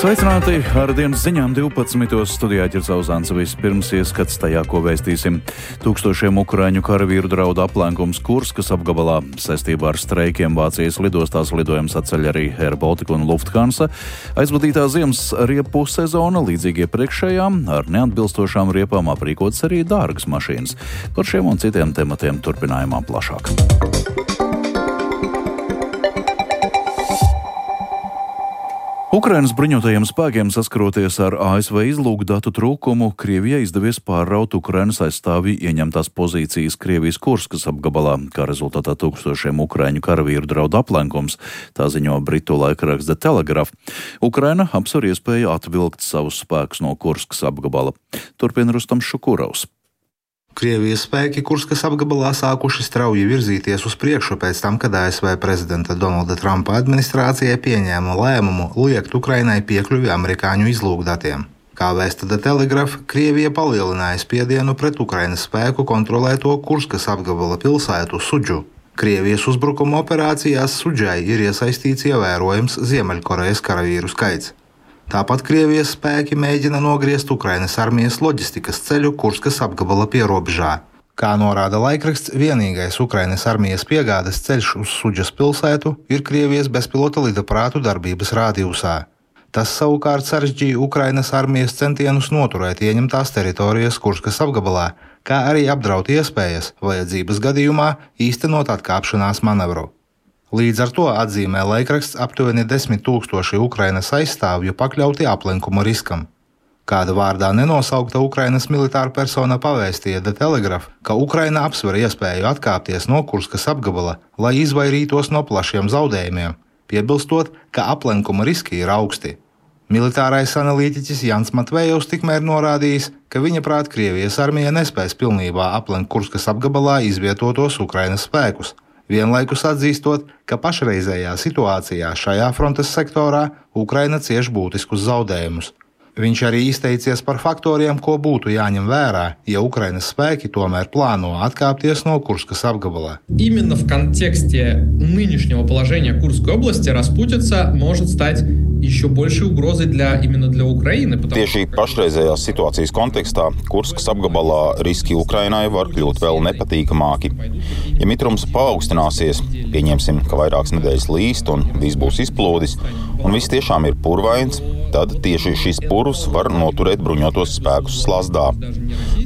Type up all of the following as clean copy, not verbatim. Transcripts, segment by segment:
Sveicināti ar dienas ziņām 12. studijā Ģirdzauzanis. Vispirms ieskats tajā, ko vēstīsim. Tūkstošiem ukraiņu karavīru draudu aplenkums Kurskas apgabalā. Saistībā ar streikiem Vācijas lidostās lidojums atceļ arī Air Baltica un Lufthansa. Aizvadītā ziemas riepu sezona, līdzīgi iepriekšējām, ar neatbilstošām riepām aprīkotas arī dārgas mašīnas. Par šiem un citiem tematiem turpinājumā plašāk. Ukrainas bruņotajiem spēkiem saskaroties ar ASV izlūkdatu trūkumu, Krievijai izdevies pārraut Ukrainas aizstāvji ieņemtās pozīcijas Krievijas Kurskas apgabalā, kā rezultātā tūkstošiem ukraiņu karavīru draud aplenkums, tā ziņo britu laikraksts The Telegraph. Ukraina apsver iespēju atvilkt savus spēkus no Kurskas apgabala. Turpina Rustams Šukurovs. Krievijas spēki Kurskas apgabalā sākuši strauji virzīties uz priekšu pēc tam, kad ASV prezidenta Donalda Trumpa administrācija pieņēma lēmumu liekt Ukrainai piekļuvi amerikāņu izlūkdatiem. Kā vēsta The Telegraph, Krievija palielināja spiedienu pret Ukrainas spēku kontrolēto Kurskas apgabala pilsētu Sudžu. Krievijas uzbrukuma operācijās Sudžai ir iesaistīts ievērojams Ziemeļkorejas karavīru skaits. Tāpat Krievijas spēki mēģina nogriezt Ukrainas armijas loģistikas ceļu Kurskas apgabala pierobežā. Kā norāda laikraksts, vienīgais Ukrainas armijas piegādes ceļš uz Sudžas pilsētu ir Krievijas bezpilota lidaprātu darbības rādījusā. Tas savukārt sarežģīja Ukrainas armijas centienus noturēt ieņemtās teritorijas Kurskas apgabalā, kā arī apdraud iespējas, vajadzības gadījumā, īstenot atkāpšanās manevru. Līdz ar to, atzīmē laikraksts, aptuveni 10 000 Ukrainas aizstāvju pakļauti aplenkuma riskam. Kāda vārdā nenosaukta Ukrainas militāra persona pavēstīja The Telegraph, ka Ukraina apsver iespēju atkāpties no Kurskas apgabala, lai izvairītos no plašiem zaudējumiem, piebilstot, ka aplenkuma riski ir augsti. Militārais analītiķis Jans Matvejovs tikmēr norādījis, ka viņa prāt Krievijas armija nespēs pilnībā aplenkt Kurskas apgabalā izvietotos Ukrainas spēkus, vienlaikus atzīstot, ka pašreizējā situācijā šajā frontes sektorā Ukraina cieš būtiskus zaudējumus. Viņš arī izteicies par faktoriem, ko būtu jāņem vērā, ja Ukrainas spēki tomēr plāno atkāpties no Kurskas apgabala. Именно в контексте нынешнего положения Курской области распутица может стать еще большей угрозой именно для Украины. Tieši pašreizējās situācijas kontekstā Kurskas apgabalā riski Ukrainai var kļūt vēl nepatīkamāki. Ja mitrums paaugstināsies, pieņemsim, ka vairākas nedēļas līst un viss būs izplūdis, un viss tiešām ir purvains, tad tieši šis purvs var noturēt bruņotos spēkus slazdā.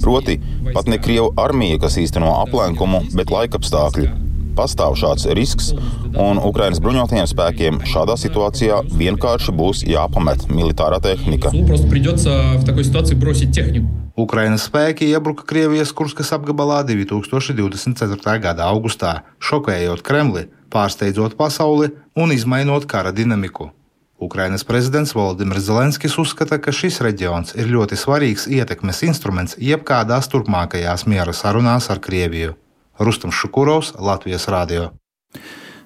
Proti, pat ne Krievu armija, kas īsteno aplenkumu, bet laikapstākļi. Pastāv šāds risks, un Ukrainas bruņotajiem spēkiem šādā situācijā vienkārši būs jāpamet militārā tehnika. Ukrainas spēki iebruka Krievijas Kurskas apgabalā 2024. gada augustā, šokējot Kremli, pārsteidzot pasauli un izmainot kara dinamiku. Ukrainas prezidents Volodimirs Zelenskis uzskata, ka šis reģions ir ļoti svarīgs ietekmes instruments jebkādās turpmākajās miera sarunās ar Krieviju. Rustams Šukurovs, Latvijas radio.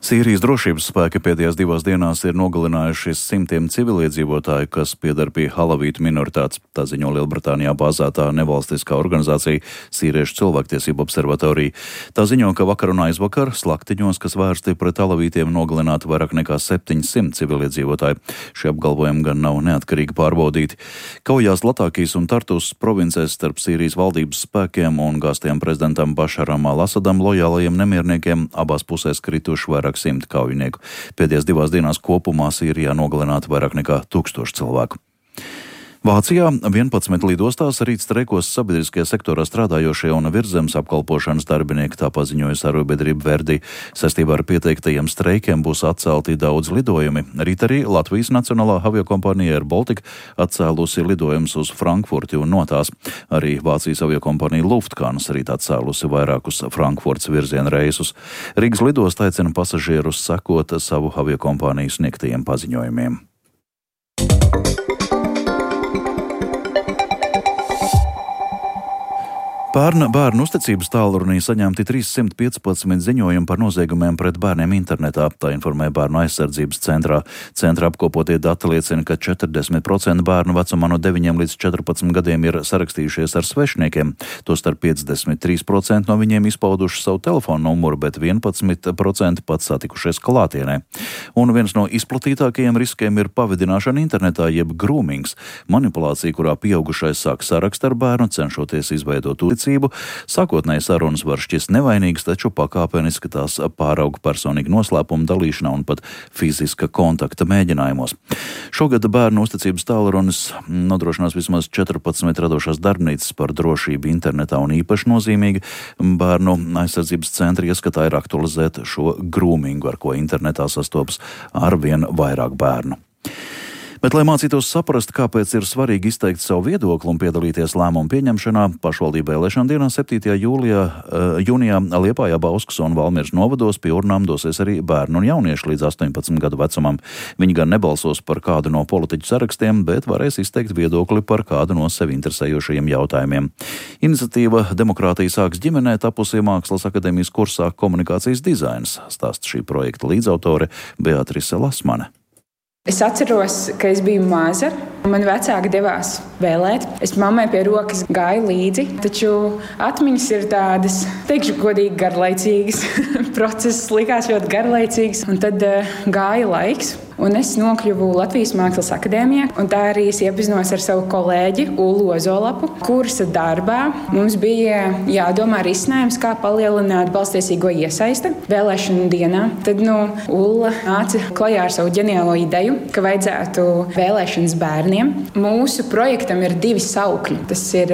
Sīrijas drošības spēki pēdējās 2 dienās ir nogalinājuši simtiem civiliedzīvotāju, kas pieder pie halavītu minoritātes. Tā ziņo Lielbritānijā bāzētā nevalstiskā organizācija Sīriešu cilvēktiesību observatorija. Tā ziņo, ka vakar un aizvakar slaktiņos, kas vērsti pret halavītiem, nogalināti vairāk nekā 700 civiliedzīvotāji. Šie apgalvojumi gan nav neatkarīgi pārbaudīti. Kaujās Latākijas un Tartus provincēs starp Sīrijas valdības spēkiem un gāztiem prezidentam Bašaram al-Asadam lojālajiem nemierniekiem abās pusēs krituši vairāk 100 kaujinieku. Pēdējās 2 dienās kopumā Sīrijā nogalināti vairāk nekā 1000 cilvēku. Vācijā 11 lidostās rīt streikos sabiedriskajā sektorā strādājošie un virszemes apkalpošanas darbinieki, tā paziņojas arotbiedrība Verdi. Saistībā ar pieteiktajiem streikiem būs atcelti daudz lidojumi. Rīt arī Latvijas nacionālā aviokompānija Air Baltica atcēlusi lidojumus uz Frankfurti un no tās. Arī Vācijas aviokompānija Lufthansa rīt atcēlusi vairākus Frankfurts virziena reisus. Rīgas lidosta aicina pasažierus sekot savu aviokompāniju sniegtajiem paziņojumiem. Bērnu uzticības tālrunī saņemti 315 ziņojumi par noziegumiem pret bērniem internetā, tā informē Bērnu aizsardzības centrā. Centra apkopotie dati liecina, ka 40% bērnu vecumā no 9 līdz 14 gadiem ir sarakstījušies ar svešniekiem. Tostarp 53% no viņiem izpauduši savu telefonu numuru, bet 11% pat satikušies klātienē. Un viens no izplatītākajiem riskiem ir pavidināšana internetā, jeb grūmings, manipulācija, kurā pieaugušais sāk sarakst ar bērnu, cenšoties izveidot uzticību. Sākotnēji sarunas var šķist nevainīgas, taču pakāpeniski tās pārauga personīgu noslēpumu dalīšanā un pat fiziska kontakta mēģinājumos. Šogad bērnu uzticības tālrunis nodrošinās vismaz 14 radošās darbnīcas par drošību internetā, un īpaši nozīmīgi Bērnu aizsardzības centra ieskatā ir aktualizēt šo grūmingu, ar ko internetā sastopas arvien vairāk bērnu. Bet, lai mācītos saprast, kāpēc ir svarīgi izteikt savu viedokli un piedalīties lēmumu pieņemšanā, pašvaldību vēlēšana dienā 7. jūnijā Liepājā, Bauskas un Valmieras novados pie urnām dosies arī bērni un jaunieši līdz 18 gadu vecumam. Viņi gan nebalsos par kādu no politiķu sarakstiem, bet varēs izteikt viedokli par kādu no sevi interesējošajiem jautājumiem. Iniciatīva Demokrātija sāks ģimenē tapusi Mākslas akadēmijas kursā Komunikācijas dizains, stāsta šī projekta līdzautore Beatrice Lasmane. Es atceros, ka es biju maza. Mani vecāki devās vēlēt. Es mammai pie rokas gāju līdzi, taču atmiņas ir tādas, teikšu godīgi, garlaicīgas. Process likās ļoti garlaicīgs, un tad gāja laiks. Un es nokļuvu Latvijas Mākslas akadēmijā, un tā arī es iepazinos ar savu kolēģi Ullu Ozolapu. Kursa darbā mums bija jādomā risinājums, kā palielināt balsstiesīgo iesaisti vēlēšanu dienā. Tad Ulla nāca klajā ar savu ģeniālo ideju, ka vajadzētu vēlēšanas bērniem. Mūsu projektam ir 2 saukļi. Tas ir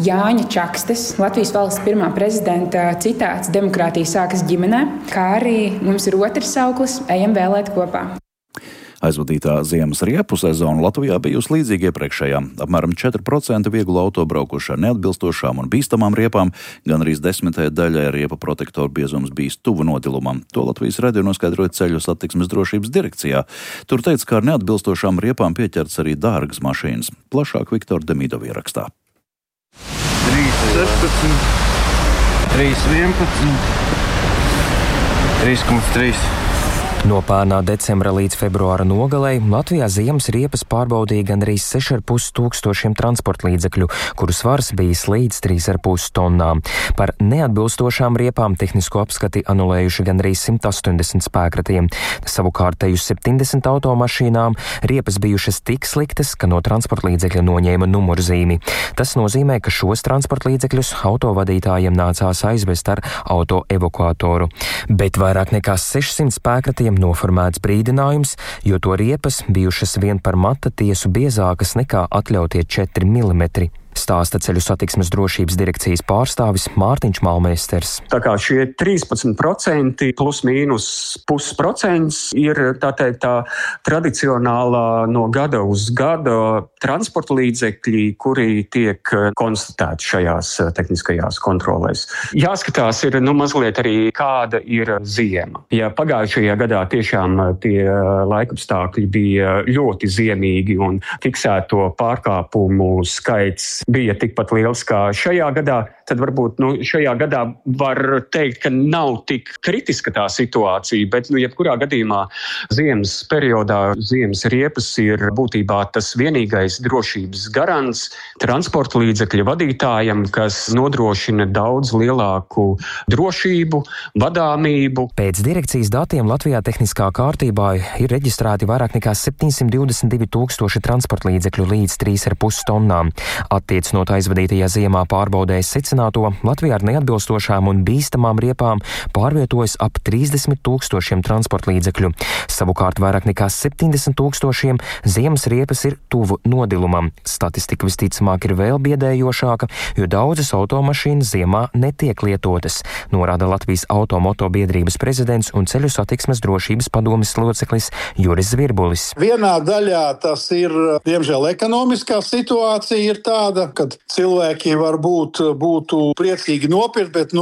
Jāņa Čakstes, Latvijas valsts pirmā prezidenta citāts "Demokrātija sākas ģimenē", kā arī mums ir otrs sauklis "Ejam vēlēt kopā". Aizvadītā ziemas riepu sezona Latvijā bijusi līdzīga iepriekšējā. Apmēram 4% vieglu auto braukuši ar neatbilstošām un bīstamām riepām, gan arī 10. daļai riepa protektoru biezums bijis tuvu nodilumam. To Latvijas radio noskaidroja Ceļu satiksmes drošības direkcijā. Tur teica, ka ar neatbilstošām riepām pieķerts arī dārgas mašīnas. Plašāk Viktora Demidova ierakstā. 3,16, 3,11, 3,3. No pērnā decembra līdz februāra nogalei Latvijā ziemas riepas pārbaudīja gandrīz 6,5 tūkstošiem transportlīdzekļu, kuru svars bijis līdz 3,5 tonnām. Par neatbilstošām riepām tehnisko apskati anulējuši gandrīz 180 spēkratiem. Savukārt te uz 70 automašīnām riepas bijušas tik sliktas, ka no transportlīdzekļa noņēma numurzīmi. Tas nozīmē, ka šos transportlīdzekļus autovadītājiem nācās aizvest ar autoevakuatoru. Bet vairāk nekā 600 spēkratiem noformēts brīdinājums, jo to riepas bijušas vien par mata tiesu biezākas nekā atļautie 4 mm. Stāsta Ceļu satiksmes drošības direkcijas pārstāvis Mārtiņš Malmēsters. Tā kā šie 13% plus mīnus pusprocents ir tā tradicionālā no gada uz gada transporta līdzekļi, kuri tiek konstatēti šajās tehniskajās kontrolēs. Jāskatās ir mazliet arī kāda ir ziema. Ja pagājušajā gadā tiešām tie laikapstākļi bija ļoti ziemīgi un fiksēto pārkāpumu skaits bija tikpat liels kā šajā gadā, tad varbūt šajā gadā var teikt, ka nav tik kritiska tā situācija, bet jebkurā gadījumā ziemas periodā ziemas riepas ir būtībā tas vienīgais drošības garants transporta līdzekļa vadītājam, kas nodrošina daudz lielāku drošību, vadāmību. Pēc direkcijas datiem Latvijā tehniskā kārtībā ir reģistrēti vairāk nekā 722 tūkstoši transporta līdzekļu līdz 3,5 tonnām. Attiecinot aizvadītajā ziemā pārbaudēs secināto, Latvijā ar neatbilstošām un bīstamām riepām pārvietojas ap 30 tūkstošiem transporta līdzekļu. Savukārt vairāk nekā 70 tūkstošiem ziemas riepas ir tuvu nodilumam. Statistika visticamāk ir vēl biedējošāka, jo daudzas automašīnas ziemā netiek lietotas, norāda Latvijas automoto biedrības prezidents un Ceļu satiksmes drošības padomes loceklis Juris Zvirbulis. Vienā daļā tas ir, diemžēl, ekonomiskā situācija ir tāda, gada, kad cilvēki varbūt būtu priecīgi nopirkt, bet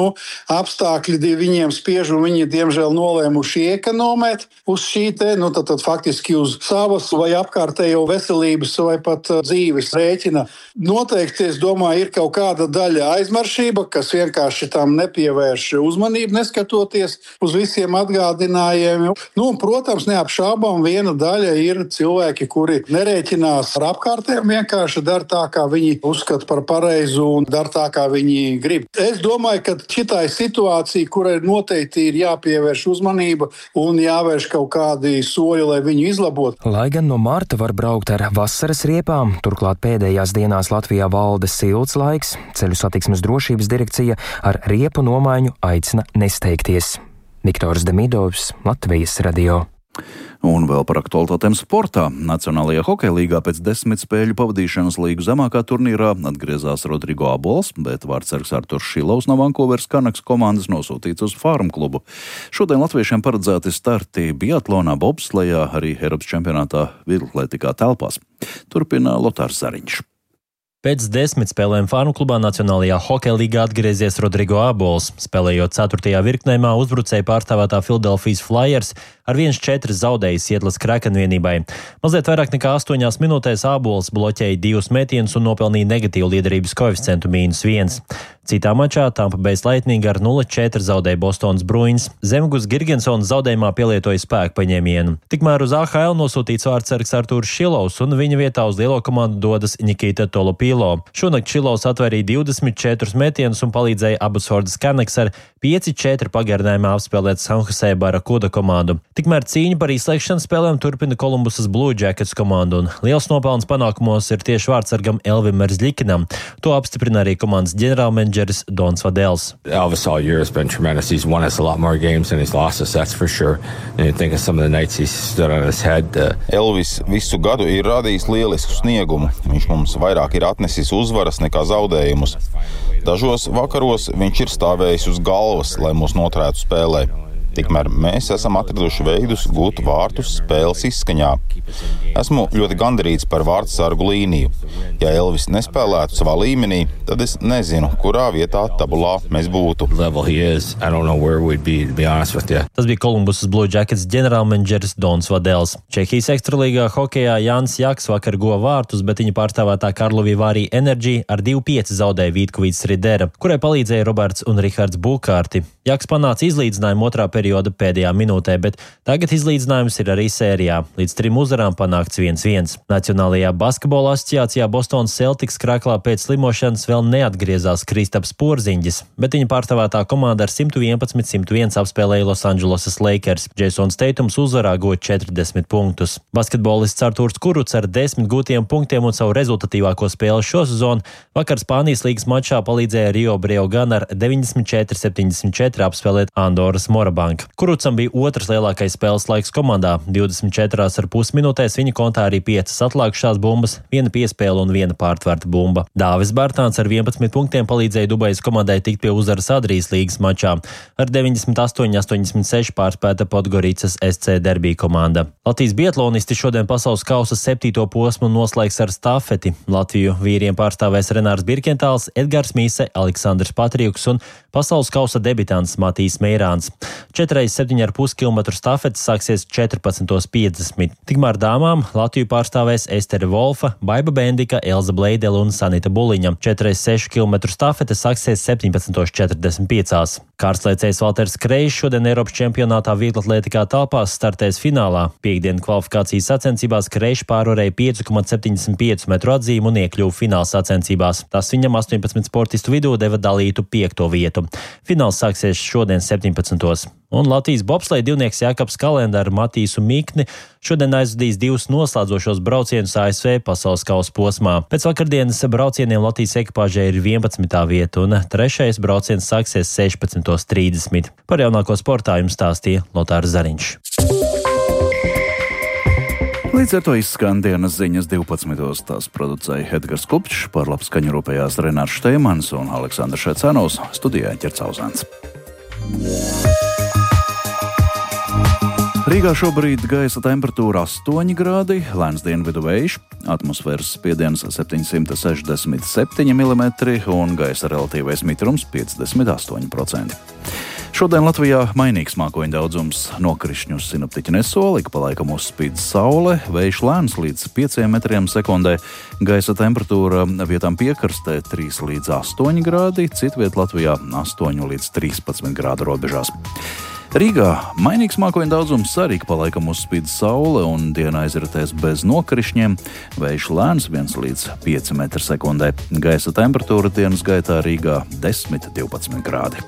apstākļi viņiem spiež un viņi diemžēl nolēmuši ekonomēt uz šī tad faktiski uz savas vai apkārtējo veselības vai pat dzīves rēķina. Noteikti, es domāju, ir kaut kāda daļa aizmaršība, kas vienkārši tam nepievērš uzmanību, neskatoties uz visiem atgādinājumiem. Protams, neapšaubām viena daļa ir cilvēki, kuri nerēķinās ar apkārtējiem, vienkārši dara tā, kā viņi uzskata par pareizu un dara tā, kā viņi grib. Es domāju, ka šitai situācija, kurai noteikti ir jāpievērš uzmanība un jāvērš kaut kādi soļi, lai viņu izlabotu. Lai gan no marta var braukt ar vasaras riepām, turklāt pēdējās dienās Latvijā valda silts laiks, Ceļu satiksmes drošības direkcija ar riepu nomaiņu aicina nesteigties. Viktors Demidovs, Latvijas radio. Un vēl par aktualitātēm sportā. Nacionālajā hokeja līgā pēc 10 spēļu pavadīšanas līgu zemākā turnīrā atgriezās Rodrigo Abols, bet vārdsargs Arturs Šilovs no Vancouveras Canucks komandas nosūtīts uz Farm klubu. Šodien latviešiem paredzēti starti biatlonā, bobslejā, arī Eiropas čempionātā vieglatlētikā telpās. Turpina Lotārs Zariņš. Pēc 10 spēlēm Farm klubā Nacionālajā hokeja līgā atgriezies Rodrigo Abols. Spēlējot 4. virknējumā, uzbrucēju pārstāvētā Philadelphia Flyers ar 1-4 zaudējis Sietlas Kraken vienībai. Mazliet vairāk nekā 8 minūtēs Abols bloķēja 2 metienus un nopelnīja negatīvu liederības koeficientu -1. Citā mačā Tampa Bay Lightning ar 0-4 zaudēja Bostonas Bruins. Zemgus Girgensons zaudējumā pielietoja spēku paņēmienu. Tikmēr uz AHL nosūtīts vārdsargs Arturs Šilovs un viņa vietā uz lielo komandu dodas Nikita Tolopilo. Šonakt Šilovs atvērīja 24 metienus un palīdzēja Abbotsfordas Canucks ar 5-4 pagarinājumā apspēlēt San Jose Barracuda komandu. Tikmēr cīņu par izslēgšanas spēlēm turpina Kolumbusas Blue Jackets komandu, un liels nopelns panākumos ir tieši vārdsargam Elvim Merzļikinam. To apstiprina arī komandas ģenerālmenedžeris Dons Vadels. Elvis all year has been tremendous. He's won us a lot more games than he's lost us, that's for sure. And you think of some of the nights he's stood on his head. Elvis visu gadu ir radījis lielisku sniegumu. Viņš mums vairāk ir atnesis uzvaras nekā zaudējumus. Dažos vakaros viņš ir stāvējis uz galvas, lai mūs noturētu spēlē. Tikmēr mēs esam atraduši veidus gūt vārtus spēles izskaņā. Esmu ļoti gandarīts par vārdsargu līniju. Ja Elvis nespēlētu savā līmenī, tad es nezinu, kurā vietā tabulā mēs būtu. Tas bija Kolumbusas Blue Jackets ģenerālmenedžeris Dons Vadels. Čehijas ekstralīgā hokejā Jānis Jaks vakar guva vārtus, bet viņa pārstāvētā Karlovy Vary Energy ar 2-5 zaudēja Vītkovīts Ridera, kurai palīdzēja Roberts un Rihards Bukārti. Jaks panāca izlīdzinājumu otrā perioda pēdējā minūtē, bet tagad izlīdzinājums ir arī sērijā. Līdz 3 uzvarām panākts 1-1. Nacionālajā basketbola asociācijā Bostonas Celtics krāklā pēc slimošanas vēl neatgriezās Kristaps Porziņģis, bet viņa pārstāvētā komanda ar 111-101 apspēlēja Losandželosas Lakers. Jasons Teitums uzvarā guva 40 punktus. Basketbolists Arturs Kurucs ar 10 gūtiem punktiem un savu rezultatīvāko spēli šo sezonu vakar Spānijas līgas mačā palīdzēja Rio Breogán ar 94-74 apspēlēt Andoras Morabank. Kurucam bija otrs lielākais spēles laiks komandā. 24,5 minūtēs viņa kontā arī 5 atlākušās bumbas, 1 piespēle un 1 pārtverta bumba. Dāvis Bārtāns ar 11 punktiem palīdzēja Dubajas komandai tikt pie uzvaras Adrijas līgas mačā. Ar 98-86 pārspēta Podgoricas SC Derby komanda. Latvijas biatlonisti šodien pasaules kausa 7. posmu noslēgs ar stafeti. Latviju vīriem pārstāvēs Renārs Birkentāls, Edgars Mīse, Aleksandrs Patrijuks un pasaules kausa debitants Matīs Meirāns. 4,7,5 km stafetes sāksies 14,50. Tikmēr dāmām Latviju pārstāvēs Estere Volfa, Baiba Bendika, Elza Bleidele un Sanita Buliņa. 4,6 km stafete sāksies 17,45. Kārstliecējs Valters Kreišs šodien Eiropas čempionātā vieglatlētikā telpās startēs finālā. Piektdien kvalifikācijas sacensībās Kreišs pārvarēja 5,75 metru atzīmu un iekļuva fināla sacensībās. Tas viņam 18 sportistu vidū deva dalītu 5. vietu. Fināls sāksies šodien 17. Un Latvijas bobsleja divnieks Jākaps Kalenda ar Matīsu Mikni šodien aizvadīs 2 noslēdzošos braucienus ASV pasaules kausa posmā. Pēc vakardienas braucieniem Latvijas ekipāžai ir 11. vieta un 3. brauciens sāksies 16,30. Par jaunāko sportā jums stāstīja Lotārs Zariņš. Līdz ar to izskan dienas ziņas 12. Tās producēja Edgars Kupčs, par labskaņu rūpējās Renārs Šteimans un Aleksandrs Šecenovs, studijā Ķercauzāns. Rīgā šobrīd gaisa temperatūra 8 grādi, lēns dienvidu vējš, atmosfēras spiediens 767 mm un gaisa relatīvais mitrums 58%. Šodien Latvijā mainīgs mākoņu daudzums, nokrišņus sinoptiķi nesola, ik pa laikam uzspīd saule, vējš lēns līdz 5 metriem sekundē, gaisa temperatūra vietām piekarstē 3 līdz 8 grādi, citviet Latvijā 8 līdz 13 grādu robežās. Rīgā mainīgs mākoņu daudzums, arī pa laikam uzspīd saule un diena aizritēs bez nokrišņiem, vējš lēns 1 līdz 5 metri sekundē, gaisa temperatūra dienas gaitā Rīgā 10–12 grādi.